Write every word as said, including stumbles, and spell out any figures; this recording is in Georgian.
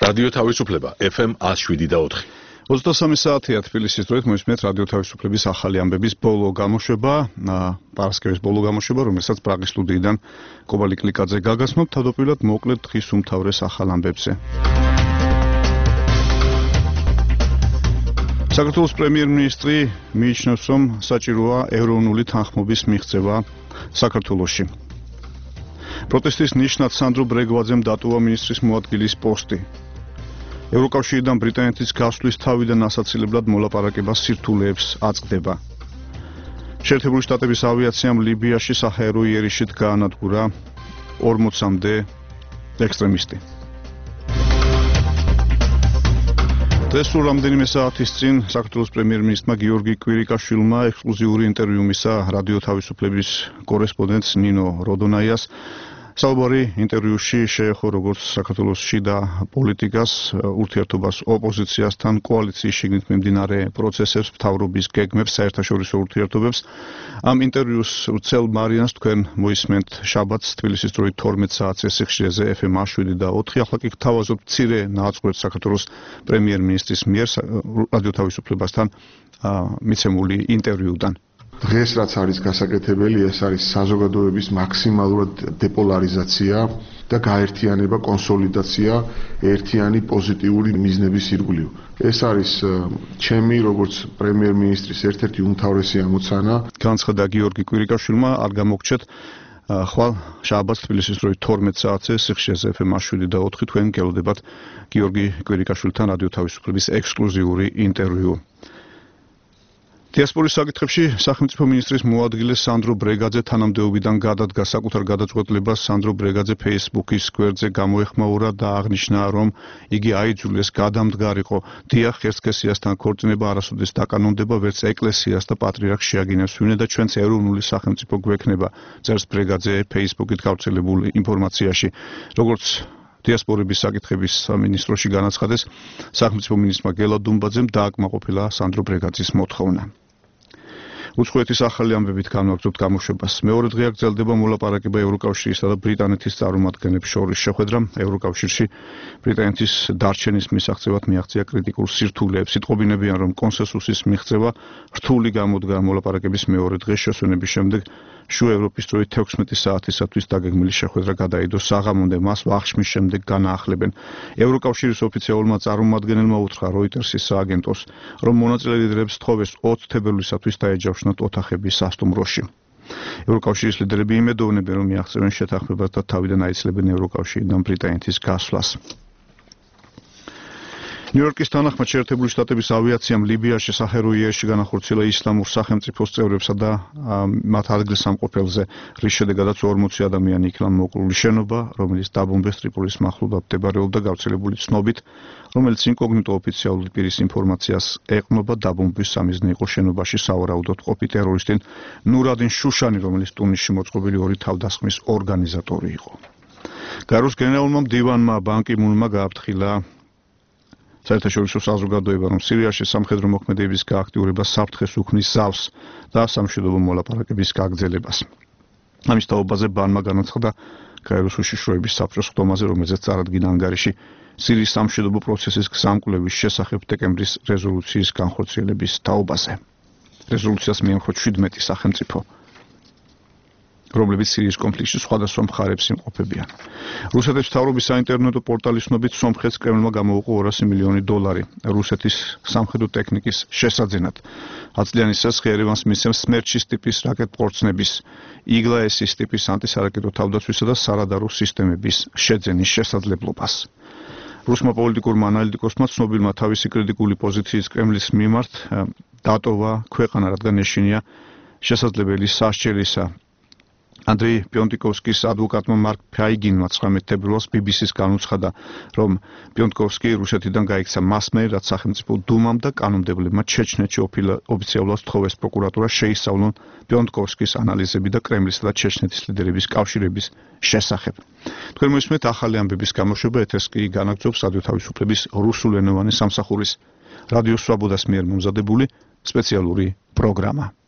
რადიო თავისუფლება ეფ ემ one oh seven და four. ოცდასამი საათია თბილისის დროით მოისმენთ რადიო თავისუფლების ახალი ამბების ბოლო გამოშვება, პარასკევის ბოლო გამოშვება, რომელსაც პრაღის სტუდიიდან კობალი კლიკაძე გაგასმობ, თავდაპირველად მოკლედ დღის უმთავრეს ახალ ამბებზე. საქართველოს პრემიერ-მინისტრი მიიჩნევს, რომ საჭიროა ეროვნული თანხმობის მიღწევა საქართველოში. პროტესტის ნიშნად სანდრო ბრეგვაძემ დატოვა მინისტრის მოადგილის პოსტი. ევროკავშირიდან ბრიტანეთის გასვლის თავიდან ასაცილებლად მოლაპარაკება სირთულეებს აწყდება. შეერთებული შტატების ავიაციამ ლიბიაში საჰაერო იერიშით გაანადგურა ორმოცამდე ექსტრემისტი. დღეს სულ რამდენიმე საათის წინ საქართველოს პრემიერ-მინისტრმა გიორგი კვირიკაშვილმა ექსკლუზიური ინტერვიუ მისცა რადიო თავისუფლების კორესპონდენტს ნინო როდონაიას. საუბარი ინტერვიუში შეეხო როგორც საქართველოს შიდა პოლიტიკას, ურთიერთობას ოპოზიციასთან, კოალიციის შიგნით მიმდინარე პროცესებს, მთავრობის გეგმებს, საერთაშორისო ურთიერთობებს. ამ ინტერვიუს ვრცელ მარიანს თქვენ მოისმენთ შაბათს თბილისის დროით თორმეტ საათზე სიხშირეზე ეფ ემ one oh seven და four. ახლა კი გთავაზობთ მცირე ნაწყვეტს საქართველოს პრემიერ-მინისტრის მიერ რადიო თავისუფლებასთან მიცემული ინტერვიუდან. დღეს რაც არის გასაკეთებელი, ეს არის საზოგადოების მაქსიმალურად დეპოლარიზაცია და გაერთიანება, კონსოლიდაცია ერთიანი პოზიტიური მიზნების ირგვლივ. ეს არის ჩემი როგორც პრემიერ-მინისტრის ერთ-ერთი უმთავრესი ამოცანა. განცხადა გიორგი კვირიკაშვილმა, არ გამოგჩეთ ხვალ შაბათს თბილისის დროით თორმეტ საათზე სიხშირეზე ეფ ემ one oh seven და four თქვენ გელოდებათ გიორგი კვირიკაშვილთან რადიო თავისუფლების ექსკლუზიური ინტერვიუ. დიასპორის საკითხებში სახელმწიფო მინისტრის მოადგილე სანდრო ბრეგაძე თანამდებობიდან გადადგა. საკუთარ გადაწყვეტილებას სანდრო ბრეგაძე Facebook-ის გვერდზე გამოეხმაურა და აღნიშნა, რომ იგი აიძულეს გადამდგარიყო. დიახ, ხერსქესიასთან ქორწინება არასოდეს დაკანონდება, ვერც ეკლესიას და პატრიარქს შეაგინებს. ვინმე და ჩვენც ეროვნული სახელმწიფო გვექნება, წერს ბრეგაძე Facebook-ით გავრცელებულ ინფორმაციაში. როგორც დიასპორების საკითხების სამინისტროში განაცხადეს, სახელმწიფო მინისტრმა გელა დუმბაძემ დააკმაყოფილა სანდრო ბრეგაძის მოთხოვნა. უცხოეთის ახალი ამბებით განვაგრძობთ გამოშვებას. მეორე დღე გრძელდება მოლაპარაკება ევროკავშირისა და ბრიტანეთის წარმომადგენლებს შორის. შეხვედრამ ევროკავშირში ბრიტანეთის დარჩენის მისაღწევად მიაღწია კრიტიკულ სირთულეებს. იტყობინებიან, რომ კონსენსუსის მიღწევა რთული გამოდგა მოლაპარაკების მეორე დღეს შესვენების შემდეგ. შუა ევროპის დროით თექვსმეტი საათისათვის დაგეგმილი შეხვედრა გადაიდო საღამომდე, მას ვახშმის შემდეგ განაახლებენ. ევროკავშირის ოფიციალურმა წარმომადგენელმა უთხრა როიტერსის სააგენტოს, რომ მონაწილე ლიდერებს თხოვეს ოცი თებერვლისათვის დაეჯავშნათ ოთახები სასტუმროში. ევროკავშირის ლიდერები იმედოვნებენ, რომ მიაღწევენ შეთანხმებას და თავიდან აიცლებენ ევროკავშირიდან ბრიტანეთის გასვლას. ნიუ-იორკის თანახმად შეერთებული შტატების ავიაციამ ლიბიაში საჰაერო იერში განახორციელა ისლამურ სახელმწიფოს წევრებსა და მათ ადგილსამყოფელზე, რის შედეგადაც ორმოცი ადამიანი იქნა მოკლული. შენობა, რომელიც დაბომბეს ტრიპოლის მახლობლად მდებარეობდა, გავრცელებული ცნობით, რომელიც ინკოგნიტო ოფიციალური პირის ინფორმაციას ეყრდნობა, დაბომბვის სამიზნე იყო შენობაში სავარაუდოდ ყოფი ტერორისტი ნურადინ შუშანი, რომელიც ტუნისში მოწყობილი ორი თავდასხმის ორგანიზატორი იყო. გარუს გენერალურმა მდივანმა ბან კი მუნმა გააფრთხილა საერთაშორისო საზოგადოება, რომ სირიაში სამხედრო მოქმედებების გააქტიურება საფრთხეს უქმნის ზავს და სამშვიდობო მოლაპარაკების გაგრძელებას. ამის თაობაზე ბანმა განაცხადა გაეროს უშიშროების საბჭოს ხდომაზე, რომელზეც წარადგინა ანგარიში სირიის სამშვიდობო პროცესის გზამკვლევის შესახებ დეკემბრის რეზოლუციის განხორციელების თაობაზე. რეზოლუციას მიემხრა შვიდმეტი სახელმწიფო, რომლებიც სირიის კონფლიქტში სხვადასხვა მხარებს იმყოფებიან. რუსეთის მთავრობის საინტერნეტო პორტალის ცნობით, სომხეთს კრემლმა გამოუყო ორასი მილიონი დოლარი რუსეთის სამხედრო ტექნიკის შესაძენად. ათწლიანი სასხი ერევანს მისცემს სმერჩის ტიპის რაკეტ-ყორცნების, იგლაესის ტიპის ანტისარაკეტო თავდაცვისა და სარადარო სისტემების შეძენის შესაძლებლობას. რუსმა პოლიტიკურმა ანალიტიკოსმა ცნობილმა თავისი კრიტიკული პოზიციის კრემლის მიმართ დატოვა ქვეყანა, რადგან ეშინია შესაძლებელი სასჯელისა. ანდრეი პიონტიკოვსკის ადვოკატმა მარკ ფაიგინმა ცხრამეტი თებერვალს ბი ბი სი-ს განუცხადა, რომ პიონტიკოვსკი რუსეთიდან გაიქცა მასმეერ, რაც სახელმწიფო დუმამ და კანონმდებლებმა ჩეჩნეთში ოფიციალურად თხოვეს პროკურატურას შეისწავლონ პიონტიკოვსკის ანალიზები და კრემლისა და ჩეჩნეთის ლიდერების კავშირების შესახებ. თქვენ მოისმენთ ახალი ამბების გამოშვება, ეთერს კი განაგრძობს რადიო თავისუფლების რუსულენოვანი სამსახურის რადიო სვაბოდას მიერ მომზადებული სპეციალური პროგრამა.